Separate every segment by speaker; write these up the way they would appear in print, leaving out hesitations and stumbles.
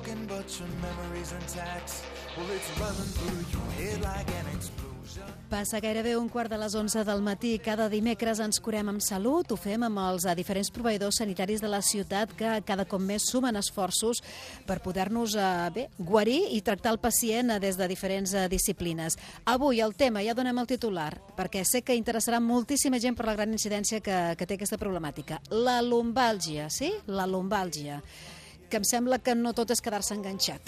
Speaker 1: talking, but your memory's intact. Well, it's running through your head like an explosion.
Speaker 2: Passa gairebé 11:15 del matí. Cada dimecres ens curem amb salut. Ho fem amb els diferents proveïdors sanitaris de la ciutat que cada cop més sumen esforços per poder-nos guarir i tractar el pacient des de diferents disciplines. Avui el tema, ja donem el titular, perquè sé que interessarà moltíssima gent per la gran incidència que té aquesta problemàtica. La lumbàlgia, sí? La lumbàlgia. Que em sembla que no tot és quedar-se enganxat,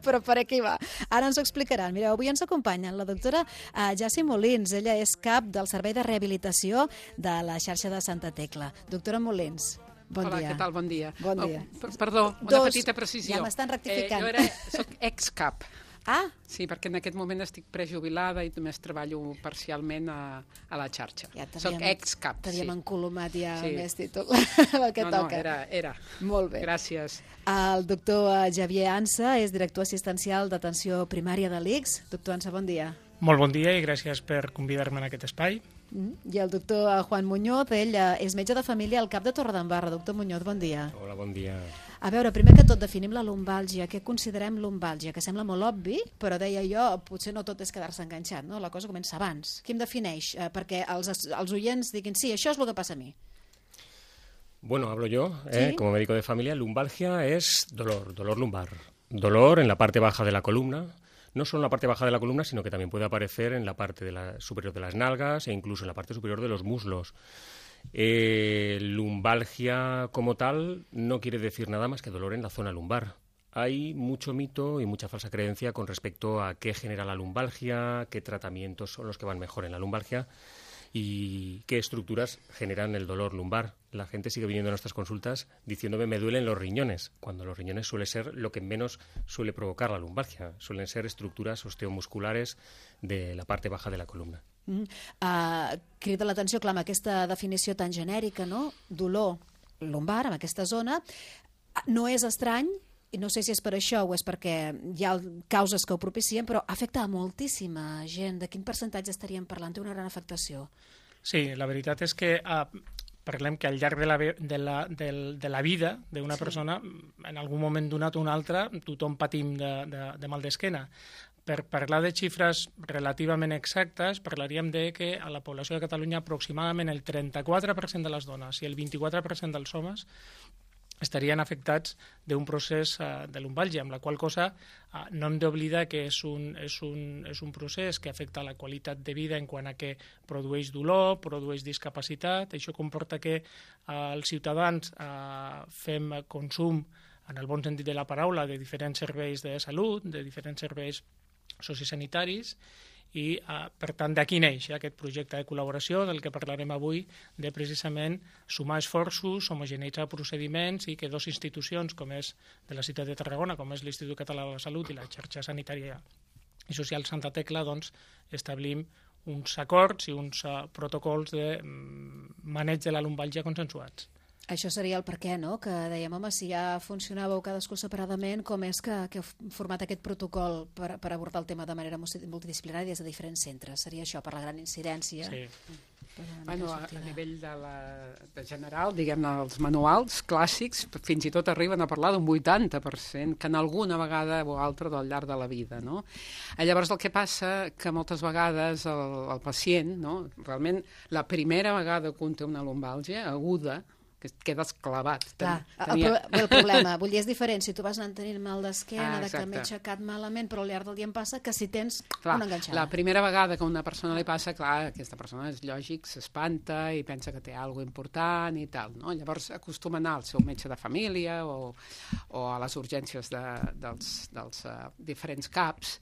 Speaker 2: però per aquí va. Ara ens ho explicaran. Mireu, avui ens acompanyen la doctora Jaci Molins. Ella és cap del Servei de Rehabilitació de la xarxa de Santa Tecla. Doctora Molins, bon dia.
Speaker 3: Hola, què tal? Bon dia.
Speaker 2: Bon dia.
Speaker 3: Perdó, una petita precisió.
Speaker 2: Ja m'estan rectificant.
Speaker 3: Jo soc ex-cap.
Speaker 2: Ah!
Speaker 3: Sí, perquè en aquest moment estic prejubilada i només treballo parcialment a la xarxa.
Speaker 2: Ja
Speaker 3: soc ex-cap, sí.
Speaker 2: T'havíem encolomat ja
Speaker 3: sí.
Speaker 2: Més títol, el que toca.
Speaker 3: No, era.
Speaker 2: Molt bé.
Speaker 3: Gràcies.
Speaker 2: El doctor Xavier Ansa és director assistencial d'atenció primària de l'ICS. Doctor Ansa, bon dia.
Speaker 4: Molt bon dia i gràcies per convidar-me en aquest espai.
Speaker 2: I el doctor Juan Muñoz, ell és metge de família al CAP de Torredembarra. Doctor Muñoz, bon dia.
Speaker 5: Hola, bon dia.
Speaker 2: A veure, primer que tot, definim la lumbàlgia. Què considerem lumbàlgia? Que sembla molt obvi, però deia jo, potser no tot és quedar-se enganxat, no? La cosa comença abans. Qui em defineix? Perquè els oients diguin, sí, això és el que passa a mi.
Speaker 5: Bueno, hablo yo,
Speaker 2: ¿Sí?
Speaker 5: Como médico de familia. Lumbalgia es dolor lumbar. Dolor en la parte baja de la columna. No solo en la parte baja de la columna, sino que también puede aparecer en la parte superior de las nalgas e incluso en la parte superior de los muslos. Lumbalgia como tal no quiere decir nada más que dolor en la zona lumbar. Hay mucho mito y mucha falsa creencia con respecto a qué genera la lumbalgia, qué tratamientos son los que van mejor en la lumbalgia y qué estructuras generan el dolor lumbar. La gente sigue viniendo a nuestras consultas diciéndome me duelen los riñones, cuando los riñones suele ser lo que menos suele provocar la lumbalgia. Suelen ser estructuras osteomusculares de la parte baja de la columna.
Speaker 2: Crida l'atenció, clar, amb aquesta definició tan genèrica, no? Dolor lumbar, en aquesta zona. No és estrany, i no sé si és per això o és perquè hi ha causes que ho propicien, però afecta a moltíssima gent. De quin percentatge estaríem parlant? Té una gran afectació.
Speaker 4: Sí, la veritat és que parlem que al llarg de la vida d'una persona, en algun moment donat o un altre, tothom patim de mal d'esquena. Per parlar de xifres relativament exactes, parlaríem de que a la població de Catalunya aproximadament el 34% de les dones i el 24% dels homes estarien afectats d'un procés de lumbàlgia, amb la qual cosa no hem d'oblidar que és un procés que afecta la qualitat de vida en quant a que produeix dolor, produeix discapacitat. Això comporta que els ciutadans fem consum, en el bon sentit de la paraula, de diferents serveis de salut, de diferents serveis sociosanitaris, i, per tant, d'aquí neix aquest projecte de col·laboració del que parlarem avui, de precisament sumar esforços, homogeneïtzar procediments i que dues institucions, com és de la ciutat de Tarragona, com és l'Institut Català de la Salut i la xarxa sanitària i social Santa Tecla, doncs establim uns acords i uns protocols de maneig de la lumbàlgia consensuats.
Speaker 2: Això seria el per què, no? Que dèiem, home, si ja funcionàveu cadascú separadament, com és que heu format aquest protocol per abordar el tema de manera multidisciplinària des de diferents centres? Seria això, per la gran incidència?
Speaker 4: Sí.
Speaker 3: Bueno, a nivell de general, diguem-ne, els manuals clàssics fins i tot arriben a parlar d'un 80% que en alguna vegada o altra al llarg de la vida, no? Llavors el que passa que moltes vegades el pacient, no? Realment la primera vegada que un té una lumbàlgia aguda, que quedes clavat.
Speaker 2: Clar, el problema, vull dir, és diferent si tu vas anar tenint mal d'esquena, que m'he aixecat malament, però al llarg del dia em passa que si tens una enganxada.
Speaker 3: La primera vegada que a una persona li passa, clar, aquesta persona és lògic, s'espanta i pensa que té alguna cosa important i tal, no? Llavors acostuma a anar al seu metge de família o a les urgències dels diferents CAPs,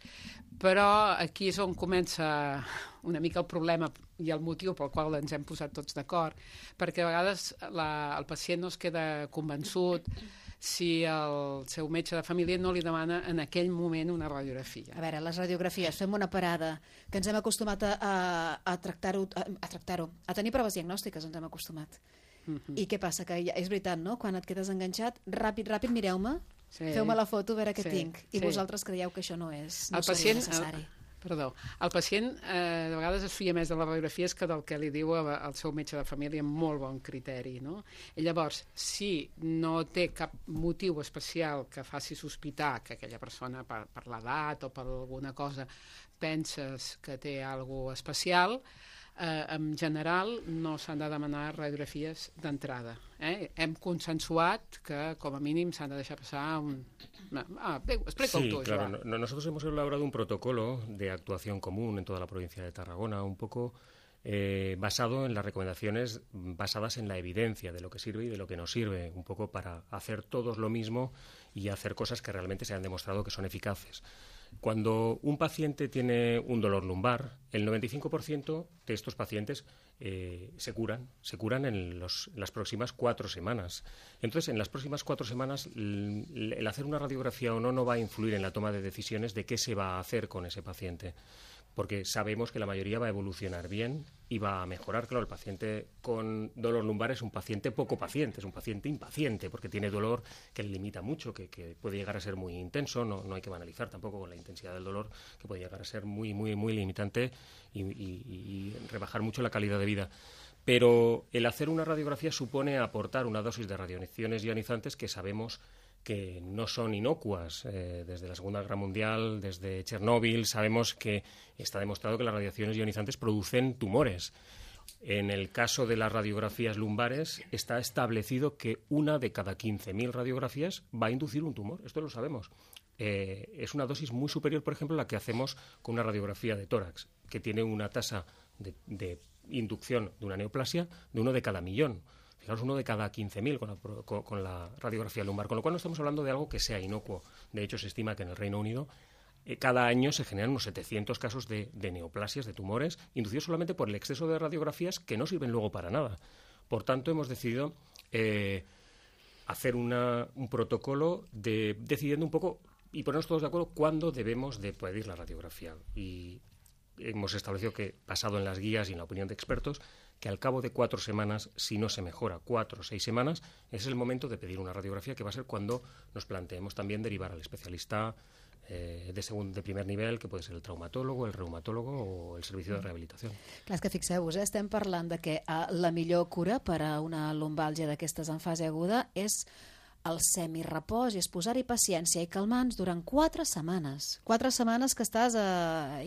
Speaker 3: però aquí és on comença una mica el problema i el motiu pel qual ens hem posat tots d'acord, perquè a vegades el pacient no es queda convençut si el seu metge de família no li demana en aquell moment una radiografia.
Speaker 2: A veure, les radiografies, fem una parada, que ens hem acostumat a tractar-ho, a tenir proves diagnòstiques, ens hem acostumat. I què passa? Que és veritat, no? Quan et quedes enganxat, ràpid, mireu-me, feu-me la foto, a veure què tinc. I vosaltres creieu que això no és necessari.
Speaker 3: Perdó. El pacient de vegades es fia més de les radiografies que del que li diu al seu metge de família amb molt bon criteri, no? I llavors, si no té cap motiu especial que faci sospitar que aquella persona, per l'edat o per alguna cosa, penses que té alguna cosa especial, en general no s'han de demanar radiografies d'entrada. Hem consensuat que com a mínim s'han de deixar passar explica-ho
Speaker 5: sí,
Speaker 3: tú,
Speaker 5: claro. Nosotros hemos elaborado un protocolo de actuación común en toda la provincia de Tarragona, un poco basado en las recomendaciones basadas en la evidencia de lo que sirve y de lo que no sirve, un poco para hacer todos lo mismo y hacer cosas que realmente se han demostrado que son eficaces. Cuando un paciente tiene un dolor lumbar, el 95% de estos pacientes se curan en las próximas 4 semanas. Entonces, en las próximas 4 semanas, el hacer una radiografía o no va a influir en la toma de decisiones de qué se va a hacer con ese paciente, porque sabemos que la mayoría va a evolucionar bien y va a mejorar. Claro, el paciente con dolor lumbar es un paciente poco paciente, es un paciente impaciente, porque tiene dolor que le limita mucho, que puede llegar a ser muy intenso, no hay que banalizar tampoco con la intensidad del dolor, que puede llegar a ser muy limitante y rebajar mucho la calidad de vida. Pero el hacer una radiografía supone aportar una dosis de radiaciones ionizantes que sabemos que no son inocuas. Desde la Segunda Guerra Mundial, desde Chernóbil, sabemos que está demostrado que las radiaciones ionizantes producen tumores. En el caso de las radiografías lumbares está establecido que 1 de cada 15.000 radiografías va a inducir un tumor. Esto lo sabemos. Es una dosis muy superior, por ejemplo, a la que hacemos con una radiografía de tórax, que tiene una tasa de inducción de una neoplasia de 1 de cada 1.000.000. Fijaros, 1 de cada 15.000 con la radiografía lumbar, con lo cual no estamos hablando de algo que sea inocuo. De hecho, se estima que en el Reino Unido cada año se generan unos 700 casos de neoplasias, de tumores, inducidos solamente por el exceso de radiografías que no sirven luego para nada. Por tanto, hemos decidido hacer un protocolo decidiendo un poco y ponernos todos de acuerdo cuándo debemos de pedir la radiografía. Y hemos establecido que, basado en las guías y en la opinión de expertos, que al cabo de 4 semanas, si no se mejora, 4 o 6 semanas, es el momento de pedir una radiografía, que va a ser cuando nos planteemos también derivar al especialista de primer nivell, que puede ser el traumatólogo, el reumatólogo o el servicio de rehabilitación.
Speaker 2: Clar, és que fixeu-vos, estem parlant de que la millor cura per a una lumbàlgia d'aquestes en fase aguda és el semirepòs i és posar-hi paciència i calmants durant 4 setmanes. 4 setmanes que estàs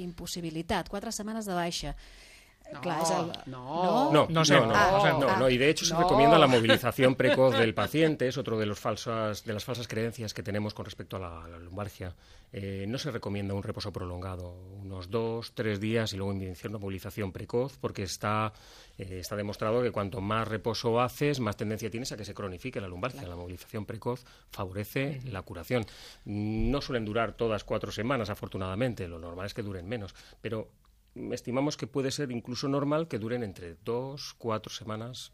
Speaker 2: impossibilitat, 4 setmanes de baixa.
Speaker 5: No, y de hecho se recomienda la movilización precoz del paciente, es otro de las falsas creencias que tenemos con respecto a la lumbalgia. No se recomienda un reposo prolongado, unos 2-3 días y luego iniciar una movilización precoz, porque está demostrado que cuanto más reposo haces, más tendencia tienes a que se cronifique la lumbalgia. Claro. La movilización precoz favorece la curación. No suelen durar todas 4 semanas, afortunadamente, lo normal es que duren menos, pero estimamos que puede ser incluso normal que duren entre 2-4 setmanes.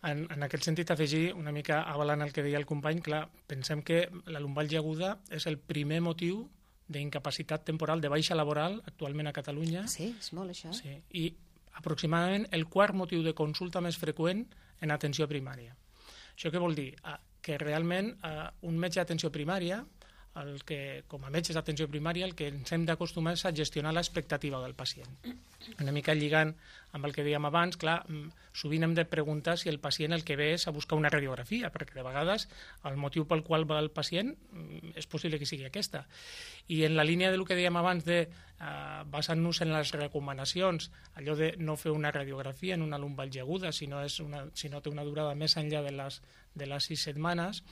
Speaker 4: En aquest sentit, afegir una mica avalant el que deia el company, clar, pensem que la lumbàlgia aguda és el primer motiu d'incapacitat temporal de baixa laboral actualment a Catalunya.
Speaker 2: Sí, és molt això.
Speaker 4: Sí, i aproximadament el 4º motiu de consulta més freqüent en atenció primària. Això què vol dir? Que realment un metge d'atenció primària, com a metges d'atenció primària, el que ens hem d'acostumar és a gestionar l'expectativa del pacient. Una mica lligant amb el que dèiem abans, clar, sovint hem de preguntar si el pacient el que ve és a buscar una radiografia, perquè de vegades el motiu pel qual va el pacient és possible que sigui aquesta. I en la línia del que dèiem abans de basant-nos en les recomanacions, allò de no fer una radiografia en una lumbàlgia aguda, si no té una durada més enllà de les 6 setmanes,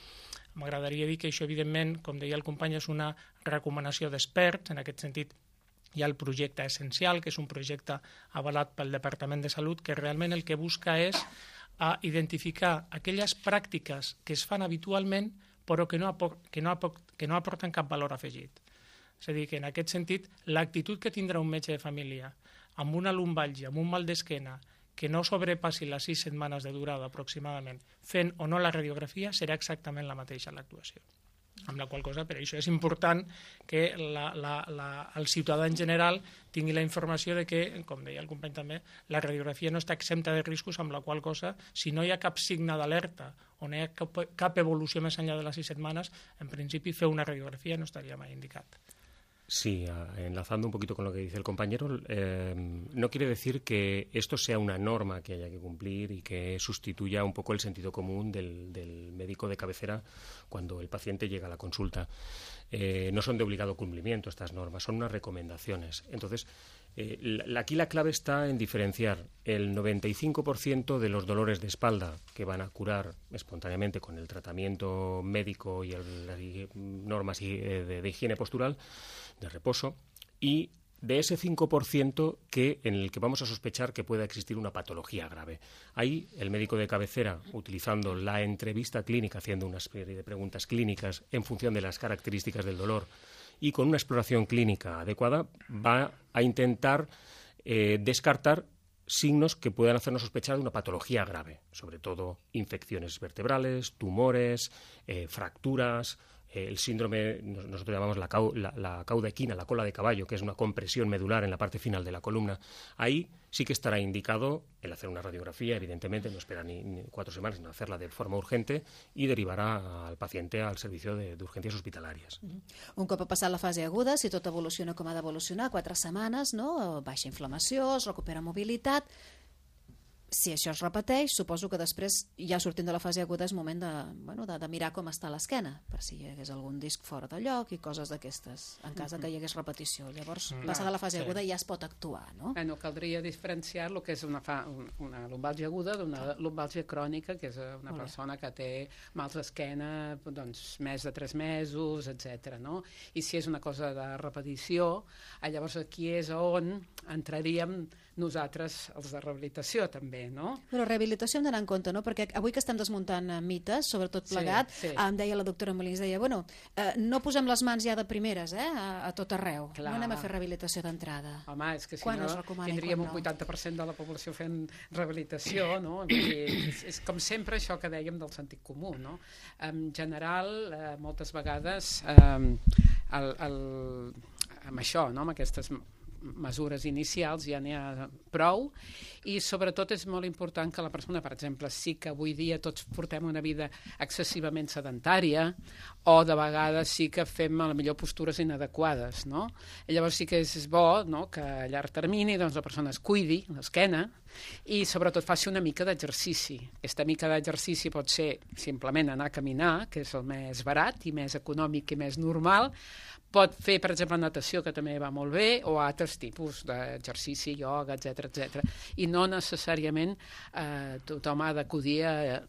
Speaker 4: m'agradaria dir que això, evidentment, com deia el company, és una recomanació d'experts. En aquest sentit, hi ha el projecte Essencial, que és un projecte avalat pel Departament de Salut, que realment el que busca és identificar aquelles pràctiques que es fan habitualment però que no aporten cap valor afegit. És a dir, que en aquest sentit, l'actitud que tindrà un metge de família amb una lumbàlgia, amb un mal d'esquena, que no sobrepassi les 6 setmanes de durada aproximadament, fent o no la radiografia, serà exactament la mateixa l'actuació. Amb la qual cosa, per això és important que el ciutadà en general tingui la informació de que, com deia el company també, la radiografia no està exempta de riscos, amb la qual cosa, si no hi ha cap signe d'alerta o no hi ha cap evolució més enllà de les 6 setmanes, en principi fer una radiografia no estaria mai indicat.
Speaker 5: Sí, enlazando un poquito con lo que dice el compañero, no quiere decir que esto sea una norma que haya que cumplir y que sustituya un poco el sentido común del médico de cabecera cuando el paciente llega a la consulta. No son de obligado cumplimiento estas normas, son unas recomendaciones. Entonces, aquí la clave está en diferenciar el 95% de los dolores de espalda que van a curar espontáneamente con el tratamiento médico y las normas de higiene postural, de reposo, y de ese 5% en el que vamos a sospechar que pueda existir una patología grave. Ahí el médico de cabecera, utilizando la entrevista clínica, haciendo una serie de preguntas clínicas en función de las características del dolor y con una exploración clínica adecuada, va a intentar descartar signos que puedan hacernos sospechar de una patología grave, sobre todo infecciones vertebrales, tumores, fracturas, el síndrome, nosotros llamamos la cauda equina, la cola de caballo, que es una compresión medular en la parte final de la columna. Ahí sí que estará indicado el hacer una radiografía, evidentemente, no espera ni 4 semanas, sino hacerla de forma urgente y derivarà al paciente al servicio d'urgències hospitalàries.
Speaker 2: Un cop ha passat la fase aguda, si tot evoluciona com ha d'evolucionar, 4 setmanes, no? Baixa inflamació, es recupera mobilitat. Si això es repeteix, suposo que després, ja sortint de la fase aguda, és moment de mirar com està l'esquena, per si hi hagués algun disc fora de lloc i coses d'aquestes, en cas que hi hagués repetició. Llavors, passada la fase aguda ja es pot actuar, no?
Speaker 3: Caldria diferenciar el que és una lumbàlgia aguda d'una lumbàlgia crònica, que és una persona que té mals d'esquena més de 3 mesos, etc. I si és una cosa de repetició, llavors aquí és on entraríem nosaltres, els de rehabilitació, també, no?
Speaker 2: Però rehabilitació hem d'anar en compte, no? Perquè avui que estem desmuntant mites, sobretot plegat, em deia la doctora Molins, deia, no posem les mans ja de primeres, a tot arreu. No anem a fer rehabilitació d'entrada.
Speaker 3: Home, és que si no tindríem un 80% de la població fent rehabilitació, no? És com sempre això que dèiem del sentit comú, no? En general, moltes vegades, amb això, amb aquestes mesures inicials ja n'hi ha prou, i sobretot és molt important que la persona, per exemple, sí que avui dia tots portem una vida excessivament sedentària, o de vegades sí que fem a la millor postures inadequades, no? I llavors sí que és bo, no?, que a llarg termini la persona es cuidi l'esquena i sobretot faci una mica d'exercici. Aquesta mica d'exercici pot ser simplement anar a caminar, que és el més barat i més econòmic i més normal. Pot fer, per exemple, natació, que també va molt bé, o altres tipus d'exercici, ioga, etc. I no necessàriament tothom ha d'acudir a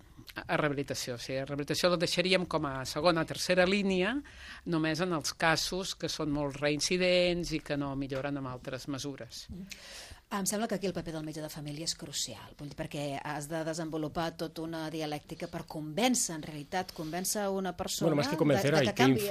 Speaker 3: rehabilitació. O sigui, a rehabilitació la deixaríem com a segona o tercera línia, només en els casos que són molt reincidents i que no milloren amb altres mesures.
Speaker 2: Em sembla que aquí el paper del metge de família és crucial, perquè has de desenvolupar tota una dialèctica per convèncer, en realitat, convèncer una persona
Speaker 5: más que convencer,
Speaker 2: de que canvi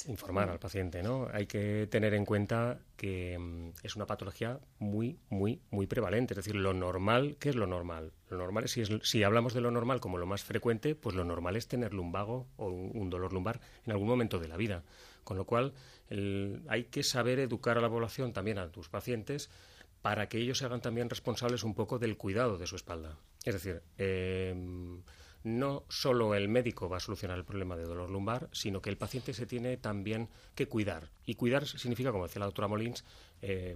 Speaker 5: informar al paciente, ¿no? Hay que tener en cuenta que es una patología muy, muy, muy prevalente. Es decir, lo normal, ¿qué es lo normal? Lo normal es, si hablamos de lo normal como lo más frecuente, pues lo normal es tener lumbago o un dolor lumbar en algún momento de la vida. Con lo cual, hay que saber educar a la población, también a tus pacientes, para que ellos se hagan también responsables un poco del cuidado de su espalda. Es decir, no solo el médico va a solucionar el problema de dolor lumbar, sino que el paciente se tiene también que cuidar. Y cuidar significa, como decía la doctora Molins,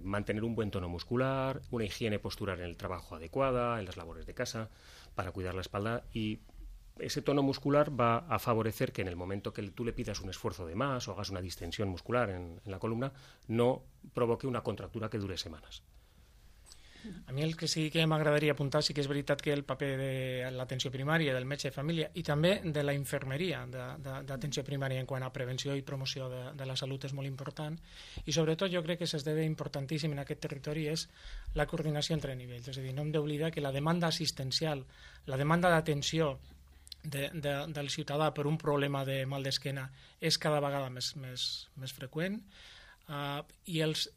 Speaker 5: mantener un buen tono muscular, una higiene postural en el trabajo adecuada, en las labores de casa, para cuidar la espalda. Y ese tono muscular va a favorecer que en el momento que tú le pidas un esfuerzo de más o hagas una distensión muscular en la columna, no provoque una contractura que dure semanas.
Speaker 4: A mi el que sí que m'agradaria apuntar sí que és veritat que el paper de l'atenció primària, del metge de família i també de la infermeria d'atenció primària en quant a prevenció i promoció de la salut és molt important, i sobretot jo crec que s'esdevé importantíssim en aquest territori és la coordinació entre nivells. És a dir, no hem d'oblidar que la demanda assistencial, la demanda d'atenció del ciutadà per un problema de mal d'esquena és cada vegada més freqüent, i els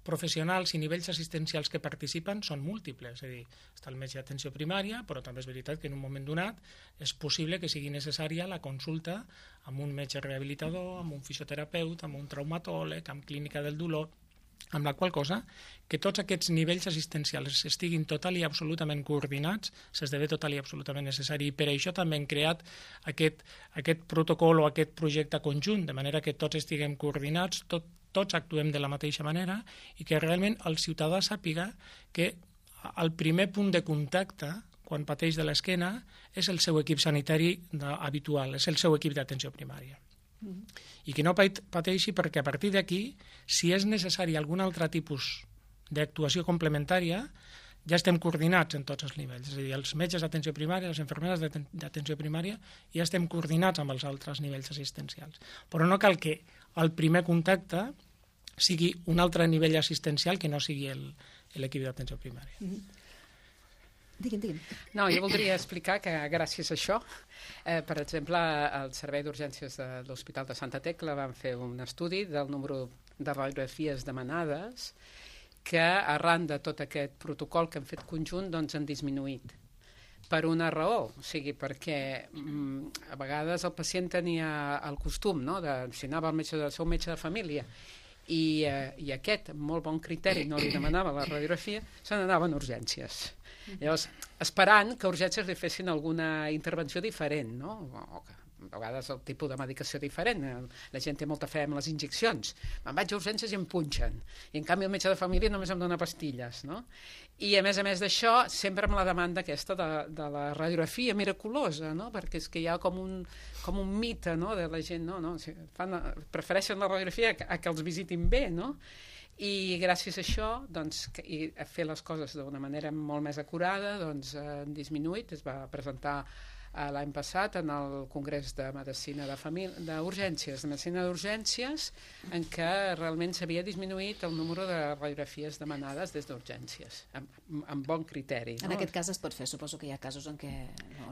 Speaker 4: professionals i nivells assistencials que participen són múltiples, és a dir, està el metge d'atenció primària, però també és veritat que en un moment donat és possible que sigui necessària la consulta amb un metge rehabilitador, amb un fisioterapeut, amb un traumatòleg, amb clínica del dolor, amb la qual cosa que tots aquests nivells assistencials estiguin total i absolutament coordinats s'esdevé total i absolutament necessari. I per això també hem creat aquest protocol o aquest projecte conjunt, de manera que tots estiguem coordinats, tots actuem de la mateixa manera i que realment el ciutadà sàpiga que el primer punt de contacte quan pateix de l'esquena és el seu equip sanitari habitual, és el seu equip d'atenció primària. I que no pateixi perquè a partir d'aquí, si és necessari algun altre tipus d'actuació complementària, ja estem coordinats en tots els nivells. És a dir, els metges d'atenció primària, les infermeres d'atenció primària, ja estem coordinats amb els altres nivells assistencials. Però no cal que el primer contacte sigui un altre nivell assistencial que no sigui l'equip d'atenció primària.
Speaker 2: Digui'm.
Speaker 3: No, jo voldria explicar que gràcies a això, per exemple, al Servei d'Urgències de l'Hospital de Santa Tecla van fer un estudi del número de radiografies demanades que arran de tot aquest protocol que hem fet conjunt doncs han disminuït. Per una raó, o sigui, perquè a vegades el pacient tenia el costum, no?, de si anava al seu metge de família i aquest, amb molt bon criteri, no li demanava la radiografia, se n'anava a urgències. Llavors, esperant que urgències li fessin alguna intervenció diferent, no? O que a vegades el tipus de medicació diferent. La gent té molta fe amb les injeccions. Me'n vaig a urgències i em punxen. I en canvi el metge de família només em dona pastilles, no? I a més d'això, sempre amb la demanda aquesta de la radiografia miraculosa, no? Perquè és que hi ha com un mite, no?, de la gent, no? Prefereixen la radiografia a que els visitin bé, no? I gràcies a això, doncs, i a fer les coses d'una manera molt més acurada, doncs han disminuït. Es va presentar l'any passat en el Congrés de Medicina d'Urgències, en què realment s'havia disminuït el número de radiografies demanades des d'urgències, amb bon criteri.
Speaker 2: En aquest cas es pot fer, suposo que hi ha casos en què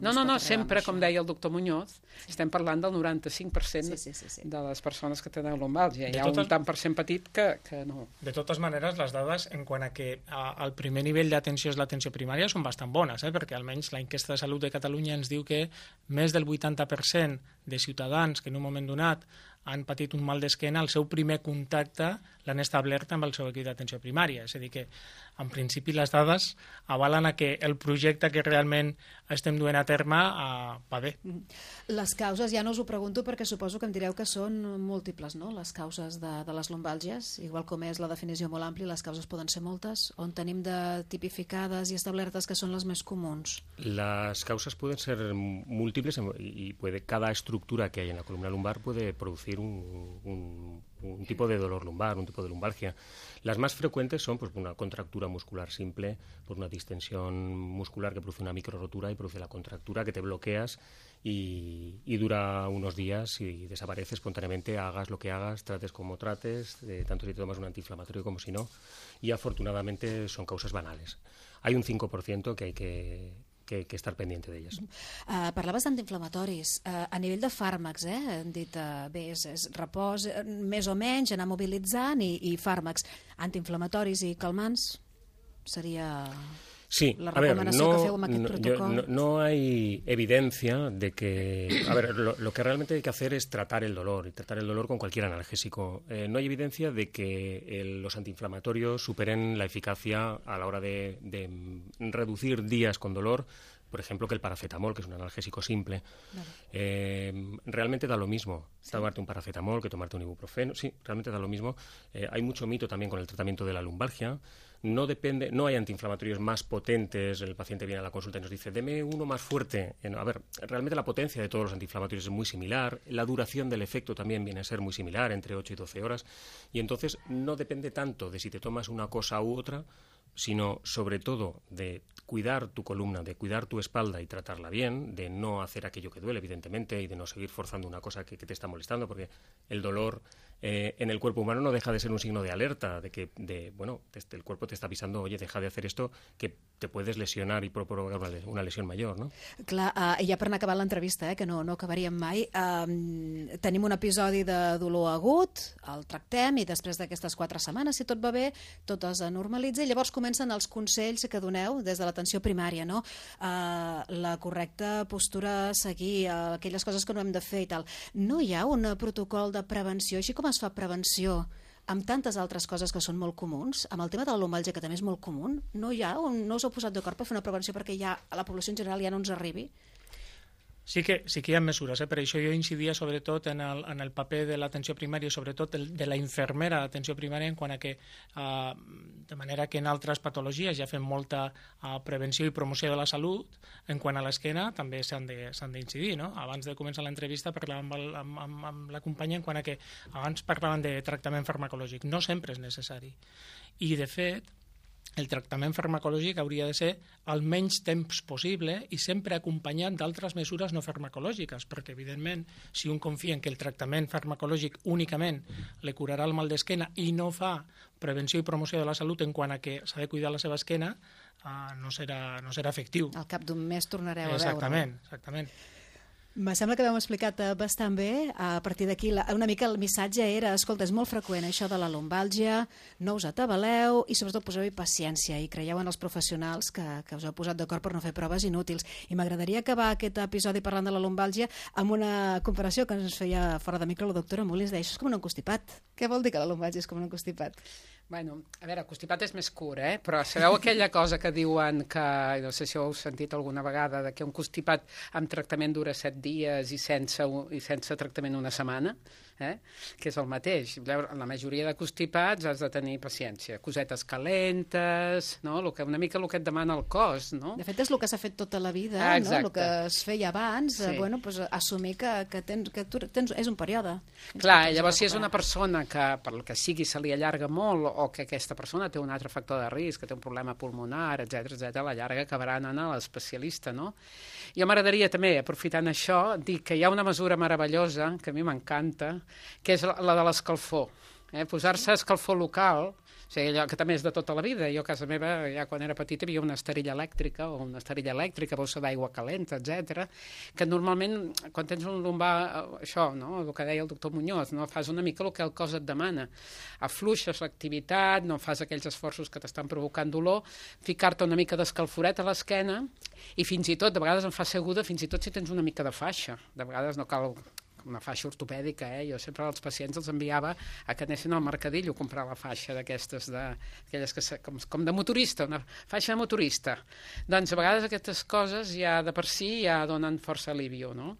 Speaker 3: no, sempre, com deia el doctor Muñoz, estem parlant del 95% de les persones que tenen lumbàlgia. Hi ha un tant per cent petit que no.
Speaker 4: De totes maneres, les dades en quant a que el primer nivell d'atenció és l'atenció primària són bastant bones, perquè almenys l'enquesta de salut de Catalunya ens diu que més del 80% de ciutadans que en un moment donat han patit un mal d'esquena, el seu primer contacte l'han establert amb el seu equip d'atenció primària. És a dir que, en principi, les dades avalen a que el projecte que realment estem duent a terme va bé.
Speaker 2: Les causes, ja no us ho pregunto perquè suposo que em direu que són múltiples, no?, les causes de les lumbàlgies. Igual com és la definició molt àmplia, les causes poden ser moltes. On tenim de tipificades i establertes que són les més comuns?
Speaker 5: Las causas pueden ser múltiples y cada estructura que hay en la columna lumbar puede producir un tipo de dolor lumbar, un tipo de lumbalgia. Las más frecuentes son pues, una contractura muscular simple, por una distensión muscular que produce una microrotura y produce la contractura que te bloqueas y dura unos días y desaparece espontáneamente, hagas lo que hagas, trates como trates, tanto si te tomas un antiinflamatorio como si no, y afortunadamente son causas banales. Hay un 5% que hay que estar pendiente d'elles.
Speaker 2: Parlaves d'antiinflamatoris. A nivell de fàrmacs, hem dit, bé, és repòs, més o menys, anar mobilitzant i fàrmacs. Antiinflamatoris i calmants seria...
Speaker 5: Sí,
Speaker 2: la recomanació que feu amb aquest protocol.
Speaker 5: No hay evidencia de que... A ver, lo que realmente hay que hacer es tratar el dolor, y tratar el dolor con cualquier analgésico. No hay evidencia de que los antiinflamatorios superen la eficacia a la hora de reducir días con dolor, por ejemplo, que el paracetamol, que es un analgésico simple. Vale. Realmente da lo mismo tomarte un paracetamol que tomarte un ibuprofeno. Sí, realmente da lo mismo. Hay mucho mito también con el tratamiento de la lumbalgia. No hay antiinflamatorios más potentes. El paciente viene a la consulta y nos dice, deme uno más fuerte. A ver, realmente la potencia de todos los antiinflamatorios es muy similar. La duración del efecto también viene a ser muy similar, entre 8 y 12 horas. Y entonces no depende tanto de si te tomas una cosa u otra, sino sobre todo de cuidar tu columna, de cuidar tu espalda y tratarla bien, de no hacer aquello que duele, evidentemente, y de no seguir forzando una cosa que te está molestando, porque el dolor en el cuerpo humano no deja de ser un signo de alerta, de que el cuerpo te está avisando, oye, deja de hacer esto, que te puedes lesionar y provocar una lesión mayor, no?
Speaker 2: Clar, i ja per anar acabant l'entrevista, que no acabaríem mai, tenim un episodi de dolor agut, el tractem i després d'aquestes 4 setmanes, si tot va bé, tot es normalitza i llavors comencen els consells que doneu des de l'atenció primària, no? La correcta postura a seguir, aquelles coses que no hem de fer i tal. No hi ha un protocol de prevenció, així com es fa prevenció amb tantes altres coses que són molt comuns, amb el tema de la lumbàlgia, que també és molt comú, no us heu posat d'acord per fer una prevenció perquè ja a la població en general ja no ens arribi?
Speaker 4: Sí que hi ha mesures, per això jo incidia sobretot en el paper de l'atenció primària i sobretot de la infermera d'atenció primària en quant a que, de manera que en altres patologies ja fem molta prevenció i promoció de la salut, en quant a l'esquena també s'han d'incidir, no? Abans de començar l'entrevista parlàvem amb la companya en quant a que abans parlàvem de tractament farmacològic, no sempre és necessari. I de fet, el tractament farmacològic hauria de ser el menys temps possible i sempre acompanyat d'altres mesures no farmacològiques, perquè, evidentment, si un confia en que el tractament farmacològic únicament li curarà el mal d'esquena i no fa prevenció i promoció de la salut en quant a que s'ha de cuidar la seva esquena, no serà efectiu.
Speaker 2: Al cap d'un mes tornareu a veure.
Speaker 4: Exactament.
Speaker 2: Me sembla que l'heu explicat bastant bé. A partir d'aquí, una mica el missatge era, escolta, és molt freqüent això de la lumbàlgia, no us atabaleu i sobretot poseu-hi paciència i creieu en els professionals que us heu posat d'acord per no fer proves inútils. I m'agradaria acabar aquest episodi parlant de la lumbàlgia amb una comparació que ens feia fora de micro la doctora Molins, deia, això és com un encostipat. Què vol dir que la lumbàlgia és com un encostipat?
Speaker 3: Bueno, a veure, el constipat és més curt, però sabeu aquella cosa que diuen que, no sé si ho heu sentit alguna vegada, que un constipat amb tractament dura 7 dies i sense tractament una setmana, que és el mateix. La majoria de constipats has de tenir paciència, cosetes calentes, no? Una mica el que et demana el cos, no?
Speaker 2: De fet, és el que s'ha fet tota la vida, no? El que es feia abans, assumir que és un període.
Speaker 3: Clar, llavors si és una persona que per el que sigui se li allarga molt o que aquesta persona té un altre factor de risc, que té un problema pulmonar, etc, a la llarga acabarà anant a l'especialista, no? Jo m'agradaria també, aprofitant això, dir que hi ha una mesura meravellosa, que a mi m'encanta, que és la de l'escalfor. Posar-se escalfor local, o sigui, allò que també és de tota la vida. Jo a casa meva, ja quan era petita, hi havia una esterilla elèctrica o una esterilla elèctrica, bossa d'aigua calenta, etc. Que normalment, quan tens un lumbar, això, no? El que deia el doctor Muñoz, no? Fas una mica el que el cos et demana. Afluixes l'activitat, no fas aquells esforços que t'estan provocant dolor, ficar-te una mica d'escalforet a l'esquena i fins i tot, de vegades em fa ser aguda, fins i tot si tens una mica de faixa. De vegades no cal una faixa ortopèdica, Jo sempre als pacients els enviava a que anessin al mercadillo a comprar la faixa d'aquestes, aquelles que com de motorista, una faixa de motorista. Doncs a vegades aquestes coses ja de per si ja donen força alivio, no?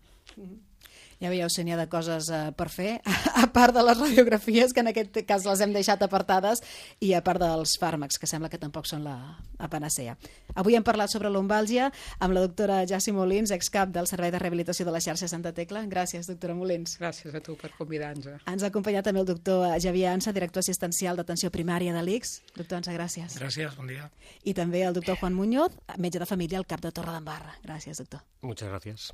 Speaker 2: Ja veieu, si n'hi ha de coses per fer, a part de les radiografies, que en aquest cas les hem deixat apartades, i a part dels fàrmacs, que sembla que tampoc són la panacea. Avui hem parlat sobre lumbàlgia amb la doctora Jassi Molins, excap del Servei de Rehabilitació de la xarxa Santa Tecla. Gràcies, doctora Molins.
Speaker 3: Gràcies a tu per convidar-nos.
Speaker 2: Ens ha acompanyat també el doctor Xavier Ansa, director assistencial d'atenció primària de l'ICS. Doctor Ansa, gràcies.
Speaker 4: Gràcies, bon dia.
Speaker 2: I també el doctor Juan Muñoz, metge de família al CAP de Torredembarra. Gràcies, doctor.
Speaker 5: Muchas gracias.